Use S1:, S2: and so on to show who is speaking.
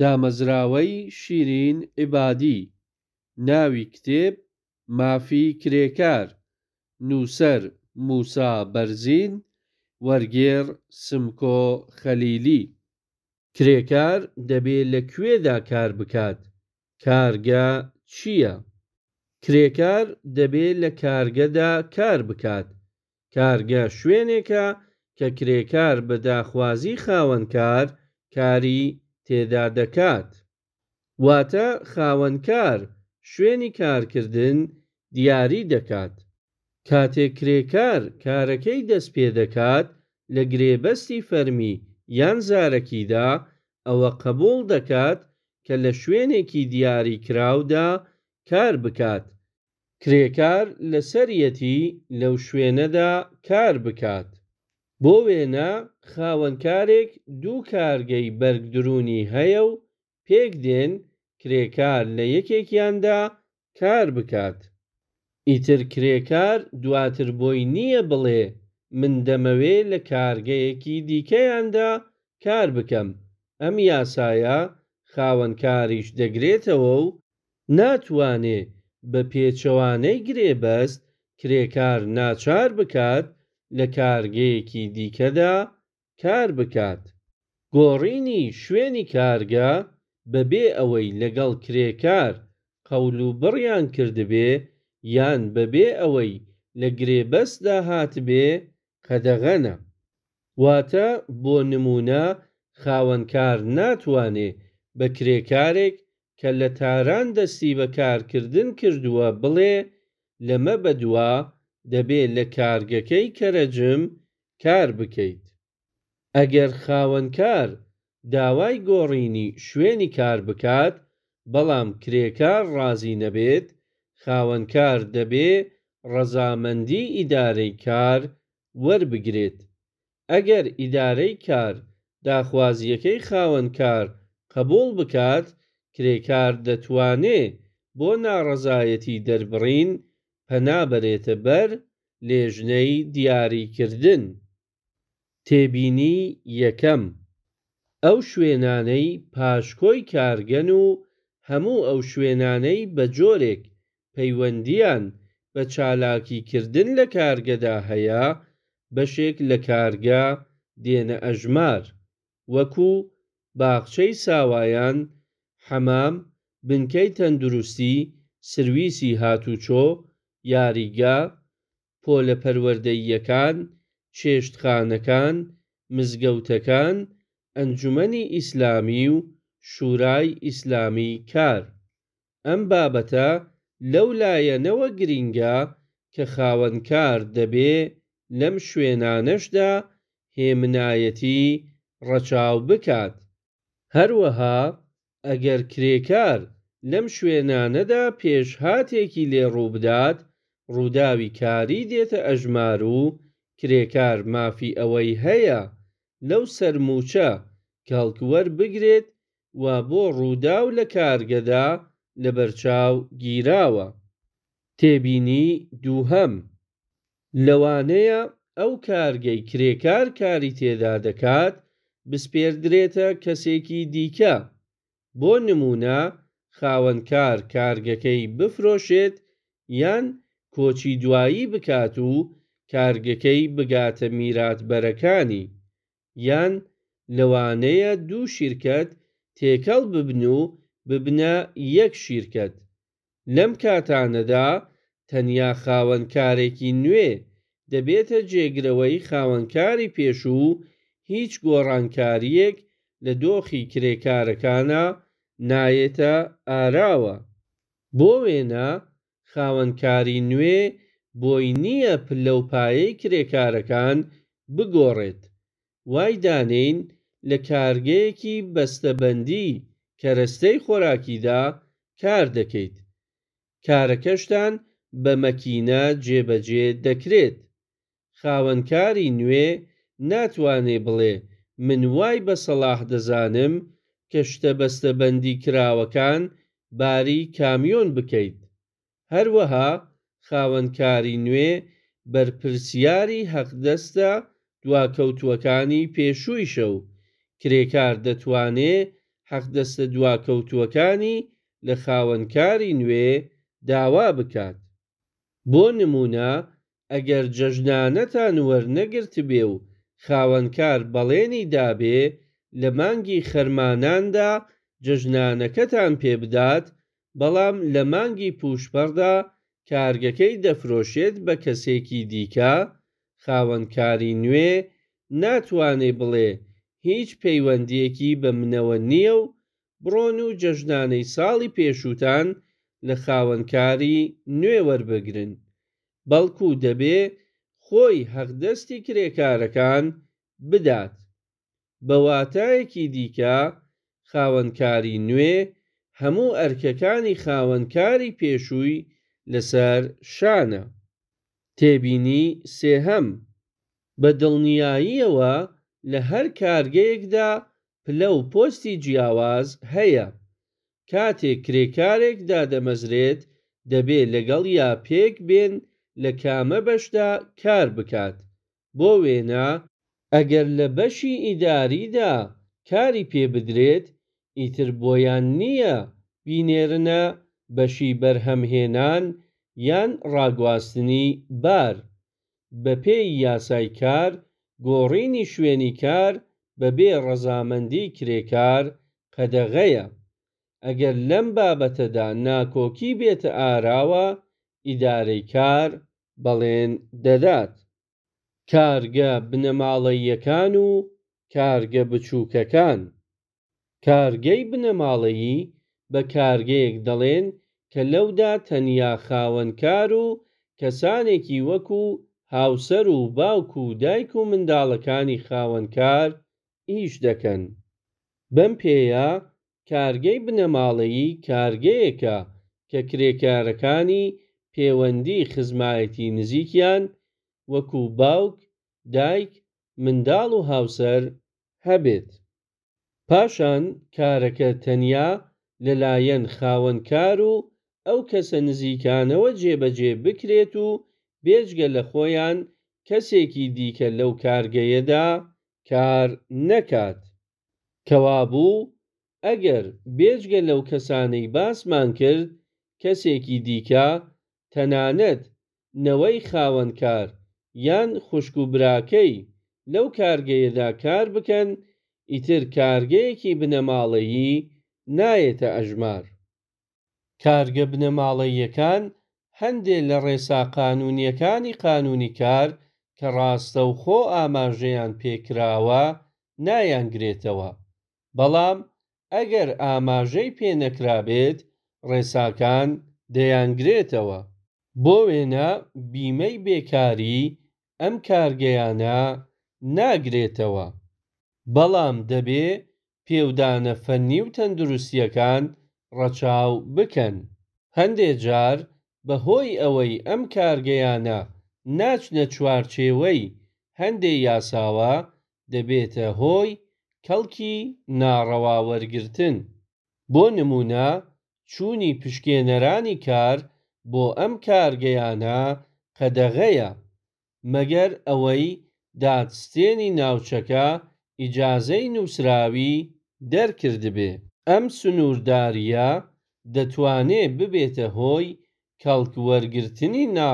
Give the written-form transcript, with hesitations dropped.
S1: دامەزراوەی شیرین عیبادی، ناوی کتێب، مافی کرێکار، نووسەر، موسا بەرزین، وەرگێڕ، سمکۆ خەلیلی. کرێکار دەبێ لە کوێدا کار بکات؟ کارگە چییە؟ کرێکار دەبێ لە کارگەدا کار بکات. کارگە شوێنێکە کە کرێکار بە داخوازی خاوەنکار کاری تێدا دەکات. واتە خاوەنکار شوێنی کارکردن دیاری دەکات. کاتێک کرێکار کارەکەی دەست پێدەکات لە گرێبەستی فەرمی یان زارەکیدا ئەوە قبوڵ دەکات کە لە شوێنێکی دیاریکراودا کار بکات. کرێکار لەسەریەتی لەو شوێنەدا کار بکات. بۆ وێنە خاوەنکارێک دوو کارگەی بەرگدروونی هەیە و پێکدێن کرێکار لە یەکێکیاندا کار بکات. ئیتر کرێکار دواتر بۆی نییە بڵێ من دەمەوێ لە کارگەیەکی دیکەیاندا کار بکەم، ئەم یاسایە خاوەنکاریش دەگرێتەوە و ناتوانێ بە پێچەوانەی گرێبەست کرێکار ناچار بکات لە کارگەیەکی دیکەدا کار بکات. گۆڕینی شوێنی کارگە بەبێ ئەوەی لەگەڵ کرێکار قەولوبڕیان کردبێ یان بەبێ ئەوەی لە گرێبەستدا هاتبێ قەدەغەنە. واتە بۆ نموونە خاوەنکار ناتوانێ بە کرێکارێک کە لە تاران دەستی بە کارکردن کردووە بڵێ لەمە بەدوا دەبێ لە کارگەکەی کەرەجم کار بکەیت. ئەگەر خاوەنکار داوای گۆڕینی شوێنی کار بکات، بەڵام کرێکار ڕازی نەبێت، خاوەنکار دەبێ ڕەزامەندی ئیدارەی کار وەربگرێت. ئەگەر ئیدارەی کار داخوازییەکەی خاوەنکار قبووڵ بکات، کرێکار دەتوانێ بۆ ناڕەزایەتی دەربڕین پەنا بەرێتە بەر لێژنەی دیاریکردن. تێبینی یەکەم، ئەو شوێنانەی پاشکۆی کارگەن و هەموو ئەو شوێنانەی بە جۆرێک پەیوەندییان بە چالاکیکردن لە کارگەدا هەیە، بەشێک لە کارگە دێنە ئەژمار، وەکو، باخچەی ساوایان، حەمام، بنکەی تەندروستی، سرویسی هاتوچۆ، یاریگا، پۆلە پەروەردەییەکان، چێشتخانەکان، مزگەوتەکان، ئەنجومەنی ئیسلامی و شورای ئیسلامی کار. ئەم بابەتە لەو لایەنەوە گرینگە کە خاوەنکار دەبێ لەم شوێنانەشدا هێمنایەتی ڕەچاو بکات. هەروەها ئەگەر کرێکار لەم شوێنانەدا پێشهاتێکی لێ ڕووبدات، ڕووداوی کاری دێتە ئەژمار و کرێکار مافی ئەوەی هەیە لەو سەرمووچە کەڵک وەربگرێت وا بۆ ڕووداو لە کارگەدا لەبەرچاو گیراوە. تێبینی دووهەم، لەوانەیە ئەو کارگەی کرێکار کاری تێدا دەکات بسپێردرێتە کەسێکی دیکە. بۆ نموونە خاوەنکار کارگەکەی بفرۆشێت یان کۆچی دوایی بکات و کارگەکەی بگاتە میراتبەرەکانی، یان لەوانەیە دوو شیرکەت تێکەڵ ببن و ببنە یەک شیرکەت. لەم کاتانەدا تەنیا خاوەنکارێکی نوێ دەبێتە جێگرەوەی خاوەنکاری پێشوو و هیچ گۆڕانکارییەک لە دۆخی کرێکارەکانا نایەتە ئاراوە. بۆ وێنە خاوەنکاری نوێ بۆی نییە پلە و پایەی کرێکارەکان بگۆڕێت. وای دانێین لە کارگەیەکی بەستەبەندی کەرەستەی خۆراکیدا کار دەکەیت. کارەکەشتان بە مەکینە جێبەجێ دەکرێت. خاوەنکاری نوێ ناتوانێ بڵێ من وای بە سەڵاح دەزانم کە شتە بەستەبەندی کراوەکان باری کامیۆن بکەیت. هەروەها خاوەنکاری نوێ بەرپرسیاری حەقدەستە دواکەوتووەکانی پێشوویشە و کرێکار دەتوانێ. حەقدەستە دواکەوتووەکانی لە خاوەنکاری نوێ داوا بکات. بۆ نموونە ئەگەر جەژنانەتان وەرنەگرتبێ و خاوەنکار بەڵێنی دابێ لە مانگی خەرماناندا جەژنانەکەتان پێ بدات، بەڵام لە مانگی پووشپەڕدا کارگەکەی دەفرۆشێت بە کەسێکی دیکە، خاوەنکاری نوێ ناتوانێ بڵێ هیچ پەیوەندییەکی بە منەوە نییە و بڕۆن و جەژنانەی ساڵی پێشووتان لە خاوەنکاری نوێ وەربگرن، بەڵکو دەبێ خۆی حەقدەستی کرێکارەکان بدات. بە واتایەکی دیکە خاوەنکاری نوێ هەموو ئەرکەکانی خاوەنکاری پێشووی لەسەر شانە. تێبینی سێهەم، بە دڵنیاییەوە لە هەر کارگەیەکدا پلە و پۆستی جیاواز هەیە. کاتێک کرێکارێک دادەمەزرێت دەبێ لەگەڵیا پێک بێن لە کامە بەشدا کار بکات، بۆ وێنە، ئەگەر لە بەشی ئیداریدا کاری پێ بدرێت، ئیتر بۆیان نییە بینێرنە بەشی بەرهەمهێنان یان ڕاگواستنی بار. بەپێی یاسای کار، گۆڕینی شوێنی کار بەبێ ڕەزامەندی کرێکار قەدەغەیە. ئەگەر لەم بابەتەدا ناکۆکی بێتە ئاراوە، ئیدارەی کار بەڵێن دەدات. کارگە بنەماڵەییەکان و کارگە بچووکەکان. کارگەی بنەماڵەیی بە کارگەیەک دەڵێن کە لەودا تەنیا خاوەنکار و کەسانێکی وەکوو هاوسەر و باوک و دایک و منداڵەکانی خاوەنکار ئیش دەکەن. بەم پێیە کارگەی بنەماڵەیی کارگەیەکە کە کرێکارەکانی پێوەندی خزمایەتی نزیکیان وەکوو باوک، دایک، منداڵ و هاوسەر هەبێت. پاشان کارەکە تەنیا لەلایەن خاوەنکار و ئەو کەسە نزیکانەوە جێبەجێ بکرێت و بێجگە لە خۆیان کەسێکی دیکە لەو کارگەیەدا کار نەکات. کەوابوو ئەگەر بێجگە لەو کەسانەی باسمان کرد کەسێکی دیکە، تەنانەت نەوەی خاوەنکار یان خوشک و براکەی لەو کارگەیەدا کار بکەن، ئیتر کارگەیەکی بنەماڵەیی نایەتە ئەژمار. کارگە بنەماڵەییەکان هەندێ لە ڕێسا قانوونییەکانی قانوونی کار کە ڕاستەوخۆ ئاماژەیان پێ کراوە نایانگرێتەوە، بەڵام ئەگەر ئاماژەی پێ نەکرابێت ڕێساکان دەیانگرێتەوە. بۆ وێنە بیمەی بێکاری ئەم کارگەیانە ناگرێتەوە. بەڵام دەبێ پێودانە فەننی و تەندروستییەکان ڕەچاو بکەن. هەندێ جار بە هۆی ئەوەی ئەم کارگەیانە ناچنە چوارچێوەی هەندێ یاساوە، دەبێتە هۆی کەڵکی ناڕەوا وەرگرتن. بۆ نموونە چوونی پشکێنەرانی کار بۆ ئەم کارگەیانە قەدەغەیە، مەگەر ئەوەی دادستێنی ناوچەکە ئیجازەی نووسراوی دەرکردبێ. ئەم سنووردارییە دەتوانێ ببێتە هۆی کەڵک وەرگرتنی ناڕەوا.